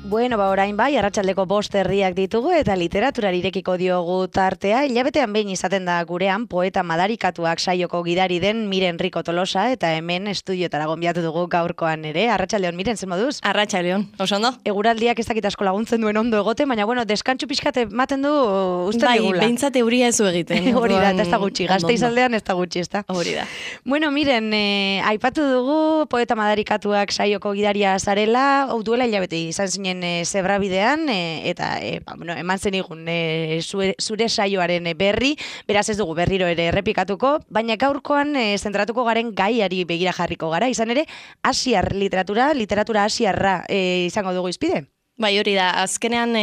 Bueno, orain bai, arratsaldeko 5 herriak ditugu eta literaturari irekiko diogu tartea. Hilabetean behin izaten da gurean poeta madarikatuak saioko gidari den Miren Rico Tolosa eta hemen estudiotara gonbiatu dugu gaurkoan ere. Arratsaldeon, Miren, zer moduz? Arratsaldeon, oso ondo. Eguraldiak ez dakit asko laguntzen duen ondo egoten, baina bueno, deskantsu pixkat ematen du uste digula. Bai, behintzat euria ez egiten. Hori da, eta ez da gutxi, Gasteizaldean ez da gutxi, ez da. Hori da. Bueno, Miren, aipatu dugu poeta madarikatuak saioko gidaria zarela, hau duela hilabete izan zinen Zebrabidean, eta eman zenigun zure saioaren berri, beraz ez dugu berriro ere errepikatuko, baina gaurkoan zentratuko garen gaiari begira jarriko gara, izan ere, asiar literatura asiarra izango dugu izpide. Bai, hori da. Azkenean,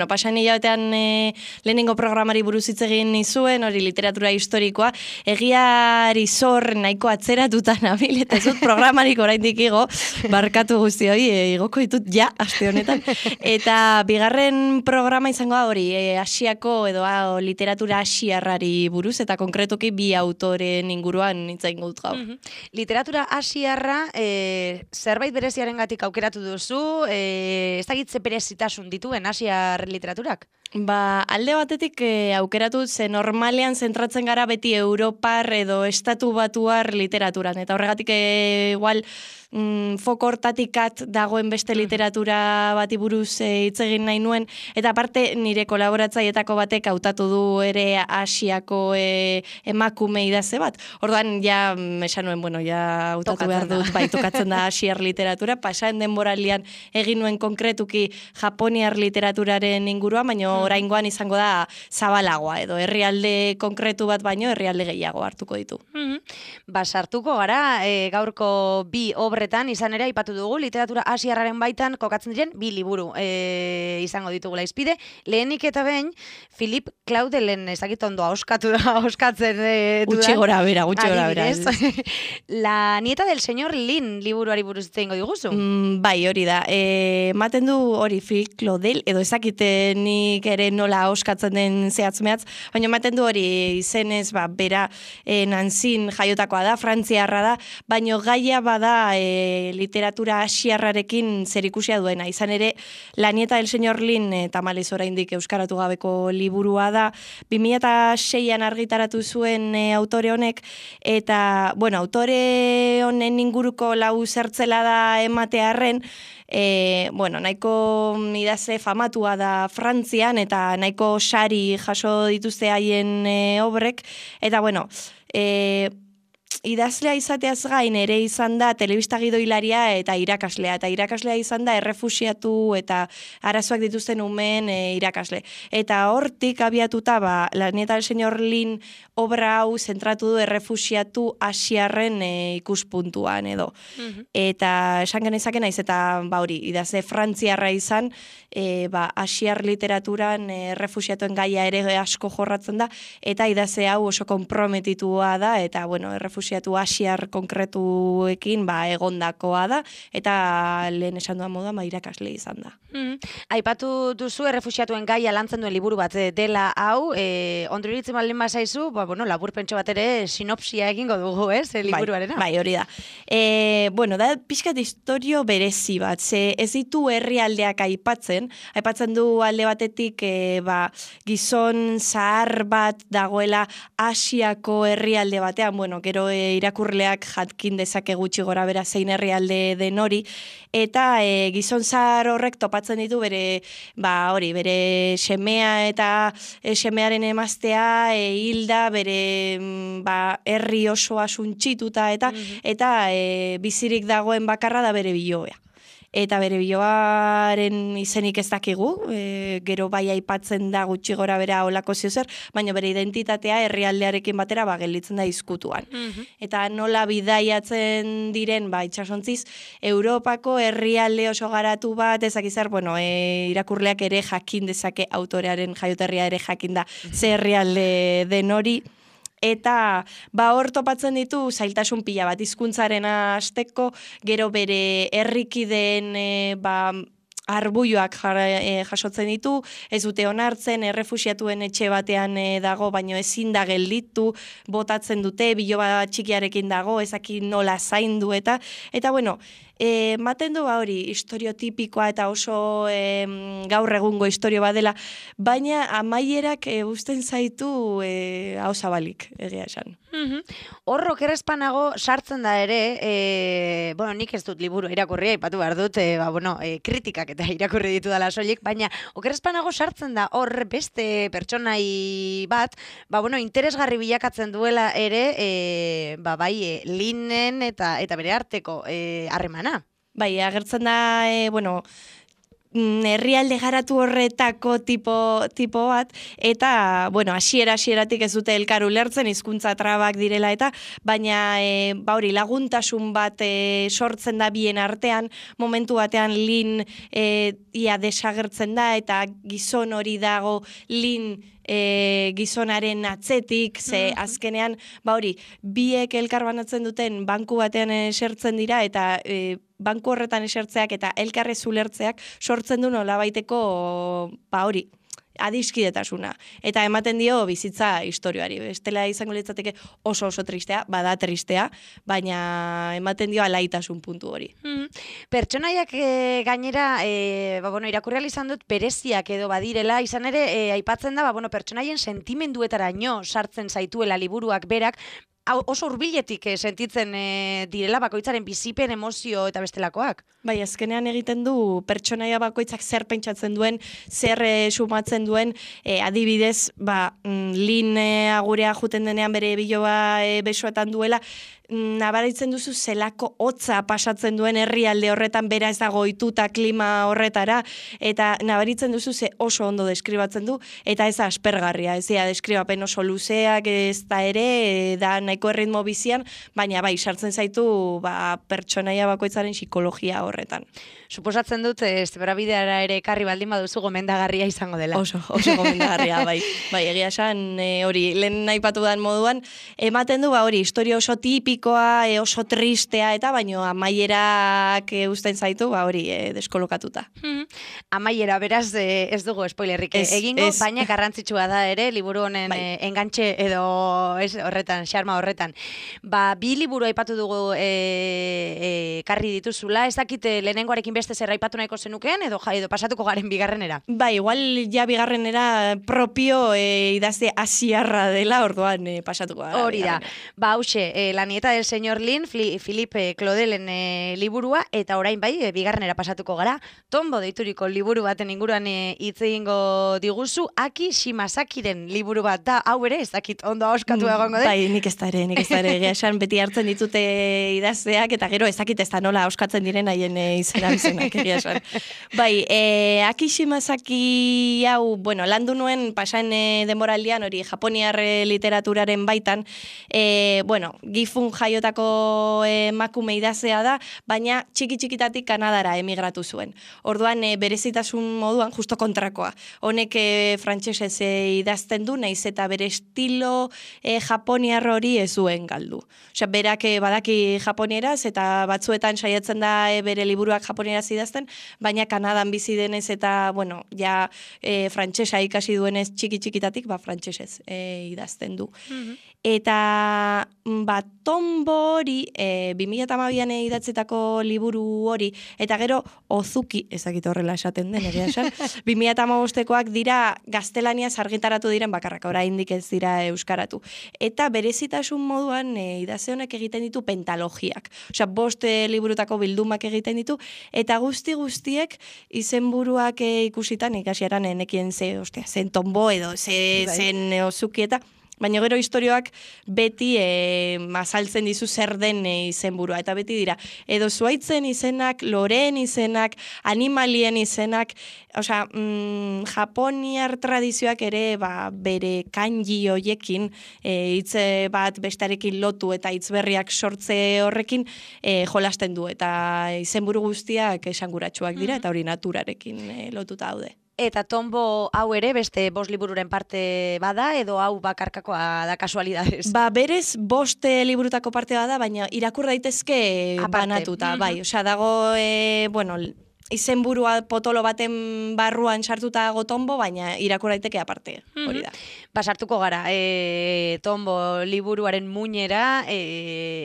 pasan hilabetean lehenengo programari buruz hitz egin nizuen, hori literatura historikoa, egiari zor nahiko atzeratuta nabil, eta ez dut programarik oraindik igo, barkatu guzti hori, igoko ditut ja, aste honetan. Eta bigarren programa izango da hori, asiako edo literatura asiarrari buruz, eta konkretuki bi autoren inguruan hitz egingo dut gaur. Literatura asiarra, zerbait bereziarengatik aukeratu duzu, ez dakit berezitasun dituen asiar literaturak? Alde batetik aukeratu ze normalean zentratzen gara beti Europar edo estatu batuar literaturan, eta horregatik igual foko hortatikat dagoen beste literatura bati buruz hitz egin nahi nuen, eta aparte nire kolaboratzailetako batek hautatu du ere asiako emakume idazle bat. Orduan ja esan nuen, hautatu behar dut, tokatzen da asiar literatura, pasaen denboraldian egin nuen konkretuki japoniar literaturaren inguruan, baina oraingoan izango da zabalagoa, edo herrialde konkretu bat baino herrialde gehiago hartuko ditu. Sartuko gara, gaurko bi obretan, izan ere, aipatu dugu, literatura asiarraren baitan kokatzen diren bi liburu izango ditugula izpide. Lehenik eta behin, Philip Claudelen, ezakit ondo ahoskatzen dudan. Gutxi gora bera. La nieta del señor Lin liburuari buruz itzengo diguzu? Bai, hori da. Ematen du hori Philip Claudel, edo ezakite nik ere nola ahoskatzen den zehatz-mehatz, baina ematen du hori izenez, bera Nanzin jaiotakoa da, frantziarra da, baina gaia bada literatura asiarrarekin zerikusia duena. Izan ere, La nieta del señor Lin, tamalez oraindik euskaratu gabeko liburua da, 2006an argitaratu zuen autore honek, eta, autore honen inguruko lau zertzela da ematearren, nahiko idazle famatua da Frantzian, eta nahiko sari jaso dituzte haien obrek, eta idazlea izateaz gain ere izan da telebista gidoilaria eta irakaslea. Eta irakaslea izan da errefuxiatu eta arazoak dituzten umeen irakasle. Eta hortik abiatuta, La nieta del señor Lin obra hau zentratu du errefuxiatu asiarren ikuspuntuan edo. Eta esan genezake naiz, eta hori, idazle frantziarra izan, asiar literaturan errefuxiatuen gaia ere asko jorratzen da, eta idazle hau oso konprometitua da, eta errefuxiatu asiar konkretuekin egondakoa da, eta lehen esan duan moduan irakasle izan da. Aipatu duzu errefuxiatuen gaia lantzen duen liburu bat dela hau, ondo iritzen baldin bazaizu, laburpentxo bat ere sinopsia egingo dugu, liburuarena? Bai, hori da. Da pixkat historio berezi bat, ze ez ditu herrialdeak aipatzen du alde batetik gizon zahar bat dagoela Asiako herrialde batean, gero irakurleak jatkin dezake gutxi gora bera zein herrialde den hori, eta gizon zahar horrek topatzen ditu bere semea eta semearen emaztea hilda, bere herri osoa suntxituta eta bizirik dagoen bakarra da bere biloea. eta bere biloaren izenik ez dakigu, gero bai aipatzen da gutxi gora bera olako ziozer, baina bere identitatea herrialdearekin batera gelditzen da izkutuan. Eta nola bidaiatzen diren, itxasontziz, Europako herrialde oso garatu bat, ezakizar, irakurleak ere jakin dezake autorearen jaioterria ere jakin da ze herrialde den hori, eta hor topatzen ditu zailtasun pila bat hizkuntzaren hasteko, gero bere herrikideen arbuioak jasotzen ditu, ez dute onartzen, errefuxiatuen etxe batean dago, baino ezin da gelditu, botatzen dute, biloba txikiarekin dago, ezaki nola zaindu eta bueno, maten du hori historiotipikoa eta oso gaur egungo historio bat dela, baina amaierak uzten zaitu hau zabalik, egia esan. Hor okerrezpanago sartzen da ere, nik ez dut liburu irakurria, aipatu behar dut, kritikak eta irakurri ditu dela soilik, baina okerrezpanago sartzen da hor beste pertsonai bat, interesgarri bilakatzen duela ere, Linen eta bere arteko harremana. Bai, agertzen da, herrialde garatu horretako tipo bat, eta, hasieratik ez dute elkar ulertzen, hizkuntza trabak direla eta, baina, laguntasun bat sortzen da bien artean, momentu batean Lin ia desagertzen da, eta gizon hori dago Lin gizonaren atzetik, ze azkenean, biek elkar banatzen duten banku batean esertzen dira, eta banku horretan esertzeak eta elkarrez ulertzeak sortzen du nolabaiteko adiskidetasuna. Eta ematen dio bizitza historioari. Bestela izango litzateke oso tristea, bada tristea, baina ematen dio alaitasun puntu hori. Pertsonaiak gainera, irakurri izan dut bereziak edo badirela, izan ere, aipatzen da, pertsonaien sentimenduetaraino sartzen zaituela liburuak berak, oso hurbiletik sentitzen direla bakoitzaren bizipen, emozio eta bestelakoak. Bai, azkenean egiten du pertsonaia bakoitzak zer pentsatzen duen, zer sumatzen duen, adibidez, Lin agurea juten denean bere biloba besoetan duela, nabaritzen duzu zelako hotza pasatzen duen herrialde horretan, bera ez dago ohituta klima horretara, eta nabaritzen duzu ze oso ondo deskribatzen du, eta ez aspergarria, ez da deskribapen oso luzeak ez da ere, da nahiko erritmo bizian, baina sartzen zaitu pertsonaia bakoitzaren psikologia horretan. Suposatzen dut, Zebrabideara ere ekarri baldin baduzu gomendagarria izango dela. Oso gomendagarria, bai, egia esan hori, lehen aipatu dan moduan, ematen du historia oso tipikoa, oso tristea, eta baino amaierak uzten zaitu, deskolokatuta. Amaiera, beraz, ez dugu spoilerrik egingo, baina garrantzitsua da ere, liburu honen engantxe edo horretan, xarma horretan. Bi liburu aipatu dugu karri dituzula, ez dakit lehenengoarekin beste zer aipatu nahiko zenukeen, edo pasatuko garen bigarrenera? Igual ja bigarrenera propio idazte asiarra dela, orduan pasatuko gara. Hori da. Hauxe, La nieta del señor Lin, Philippe Claudelen liburua, eta orain bigarrenera pasatuko gara, Tombo deituriko liburu baten inguruan hitz egingo diguzu, Aki Shimasakiren liburu bat da, hau ere, ez dakit ondo ahoskatu egongo den? Bai, nik ez da ere, egia esan beti hartzen ditute idazteak, eta gero ez dakit ez da nola ahoskatzen diren haien izena bizenak, egia esan. Aki Shimasaki hau, landu nuen pasaen denboraldian hori japoniar literaturaren baitan, Gifun jaiotako emakume idazlea da, baina txikitatik Kanadara emigratu zuen. Orduan berezitasun moduan justo kontrakoa. Honek frantsesez idazten du, naiz eta bere estilo japoniar hori ez zuen galdu. Osea, berak badaki japonieraz eta batzuetan saiatzen da bere liburuak japonieraz idazten, baina Kanadan bizi denez eta, frantsesa ikasi duenez txikitatik, frantsesez idazten du. Eta Tombo hori 2012an idatzetako liburu hori, eta gero Ozuki, ezakit horrela esaten den, egia esan, 2015koak dira gaztelaniaz argitaratu diren bakarrak, oraindik ez dira euskaratu. Eta berezitasun moduan idazle honek egiten ditu pentalogiak. Osea, 5 liburutako bildumak egiten ditu, eta guztiek izenburuak ikusitan ikasieran enekien zen Tombo edo zen Ozuki eta Baina gero istorioak beti azaltzen dizu zer den izenburua, eta beti dira, edo zuaitzen izenak, loreen izenak, animalien izenak, osea, japoniar tradizioak ere bere kanji hoiekin, hitz bat bestarekin lotu eta hitz berriak sortze horrekin jolasten du, eta izenburu guztiak esanguratsuak dira, eta hori naturarekin lotuta daude. Eta Tombo hau ere beste 5 libururen parte bada, edo hau bakarkakoa da kasualidades? Berez 5 liburutako parte bada, baina irakur daitezke banatuta, bai. Osea, dago, izenburua potolo baten barruan sartuta dago Tombo, baina irakur daiteke aparte, hori da. Sartuko gara, Tombo liburuaren muinera,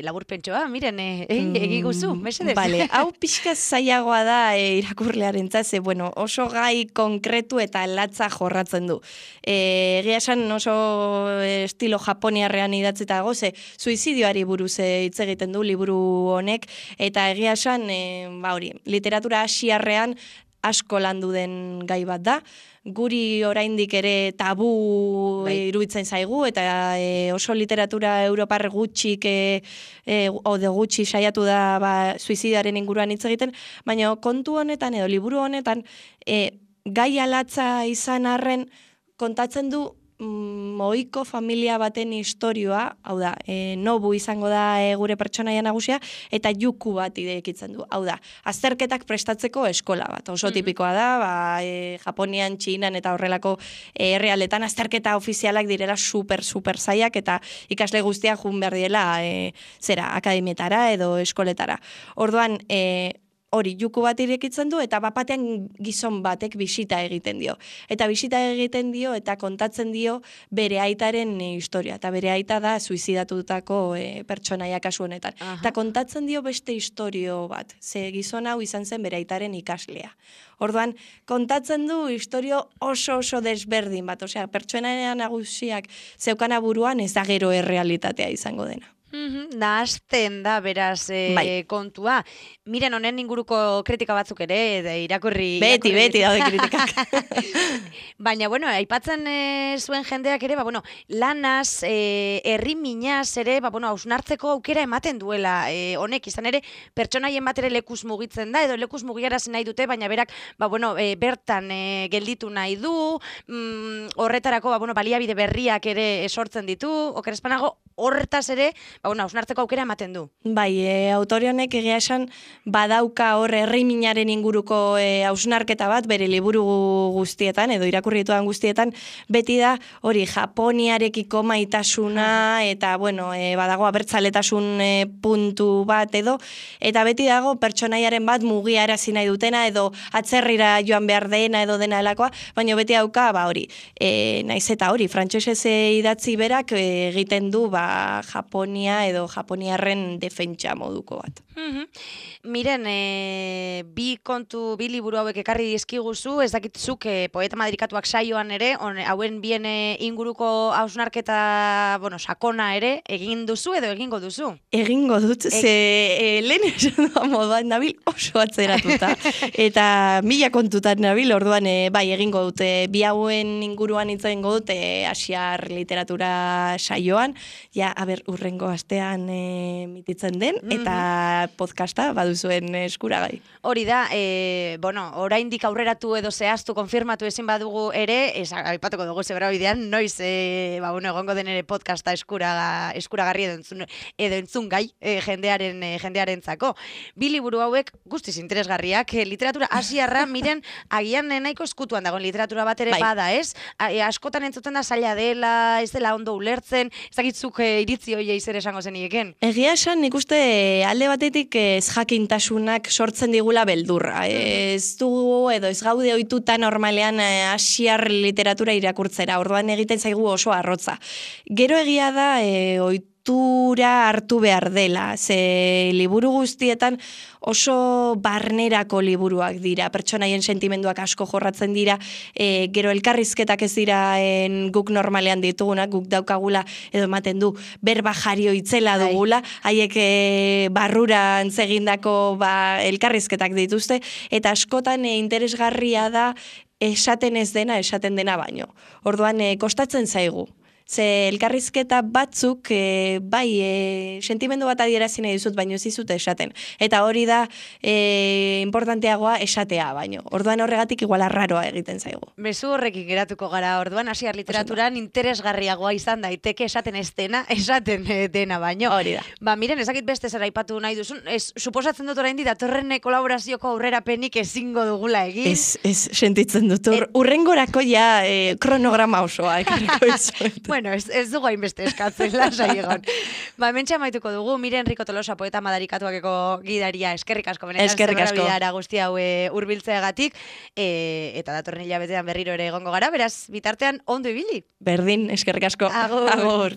laburpentsoa, miren, egiguzu, mesedez. Bale, hau pixka zailagoa da irakurlearen ze, oso gai konkretu eta latza jorratzen du. Egia esan oso estilo japoniarrean idatzita dago, ze suizidioari buruz hitz egiten du liburu honek, eta egia esan, literatura asiarrean asko landu den gai bat da. Guri oraindik ere tabu iruditzen zaigu, eta oso literatura europar gutxik gutxi saiatu da suizidioaren inguruan hitz egiten, baina kontu honetan edo liburu honetan gai alatza izan arren kontatzen du ohiko familia baten istorioa, hau da, Nobu izango da gure pertsonaia nagusia, eta Yuku bat idekitzen du. Hau da, azterketak prestatzeko eskola bat. Oso tipikoa da, Japonian, Txinan eta horrelako herrialdetan azterketa ofizialak direla super zaiak, eta ikasle guztiak jun behar direla akademietara edo eskoletara. Orduan, hori Yuku bat irekitzen du, eta bapatean gizon batek bisita egiten dio. Eta bisita egiten dio, eta kontatzen dio bere aitaren historia. Eta bere aita da suizidatutako pertsonaia kasu honetan. Eta kontatzen dio beste istorio bat. Ze gizon hau izan zen bere aitaren ikaslea. Orduan, kontatzen du istorio oso desberdin bat. Osea, pertsonaia nagusiak zeukana buruan ez da gero errealitatea izango dena. Nahazten da, beraz, kontua. Miren, honen inguruko kritika batzuk ere, irakurri... Beti daude kritikak. Baina, aipatzen zuen jendeak ere, lanaz, herri minaz ere, hausnartzeko aukera ematen duela. Honek, izan ere, pertsonaien bat ere lekuz mugitzen da, edo lekuz mugiarazi nahi dute, baina berak, bertan gelditu nahi du, horretarako, baliabide berriak ere sortzen ditu, okerespanago, horretaz ere, hausnartzeko aukera ematen du. Bai, autore honek egia esan badauka hor herri minaren inguruko hausnarketa bat bere liburu guztietan, edo irakurri ditudan guztietan, beti da hori Japoniarekiko maitasuna, eta badago abertzaletasun puntu bat edo, eta beti dago pertsonaiaren bat mugiarazi nahi dutena, edo atzerrira joan behar dena edo dena helakoa, baina beti dauka hori, naiz eta hori, frantsesez idatzi berak egiten du Japonia edo japoniarren defentsa moduko bat. Miren, bi liburu hauek ekarri dizkiguzu, ez dakitzuk poeta madarikatuak saioan ere, hauen bien inguruko hausnarketa, sakona ere, egin duzu edo egingo duzu? Egingo dut, ze lehen esan da moduan nabil oso atzeratuta, eta 1000 kontutan nabil, orduan bai egingo dut, bi hauen inguruan hitz egingo dut, asiar literatura saioan, urrengo astean mititzen den, eta podcasta baduzuen eskuragai. Hori da, oraindik aurreratu edo zehaztu, konfirmatu ezin badugu ere, aipatuko dugu zebra bidean, noiz egongo den ere podcasta eskuragarri edo entzun gai jendearentzako. Bi liburu hauek guztiz interesgarriak, literatura asiarra, miren, agian nahiko eskutuan dagoen literatura bat ere bada, ez? Askotan entzuten da zaila dela, ez dela ondo ulertzen, ez dakitzuk iritzi hoia izer esango zenieken. Egia esan, nik uste alde batetik ez jakintasunak sortzen digula beldurra. Ez dugu edo ez gaude ohituta normalean asiar literatura irakurtzera, orduan egiten zaigu oso arrotza. Gero egia da ohitura hartu behar dela, ze liburu guztietan oso barnerako liburuak dira, pertsonaien sentimenduak asko jorratzen dira, gero elkarrizketak ez dira guk normalean ditugunak, guk daukagula edo ematen du berba jario itzela dugula, haiek barruran zegindako elkarrizketak dituzte, eta askotan interesgarria da esaten ez dena, esaten dena baino. Orduan, kostatzen zaigu. Ze elkarrizketa batzuk, bai, sentimendu bat adierazi nahi dizut, baino ez dizute esaten. Eta hori da importanteagoa esatea, baino. Orduan horregatik igual arraroa egiten zaigu. Mezu horrekin geratuko gara, orduan hasiar literaturan interesgarriagoa izan daiteke esaten ez dena, esaten dena baino. Hori da. Ba, miren, ezakit beste zer aipatu nahi duzun, suposatzen dut oraindik datorren kolaborazioko aurrerapenik ezingo dugula egin. Ez sentitzen dut, urrengorako ja kronograma osoa ekarriko izuet. Bueno, ez dugu hainbeste eskatzen, lasai egon. Ba, hementxe amaituko dugu, Miren Rico Tolosa poeta madarikatuakeko gidaria, eskerrik asko, benetan zebrabidara guzti hau hurbiltzeagatik, eta datorren hilabetean berriro ere egongo gara, beraz, bitartean ondo ibili. Berdin, eskerrik asko. Agur. Agur.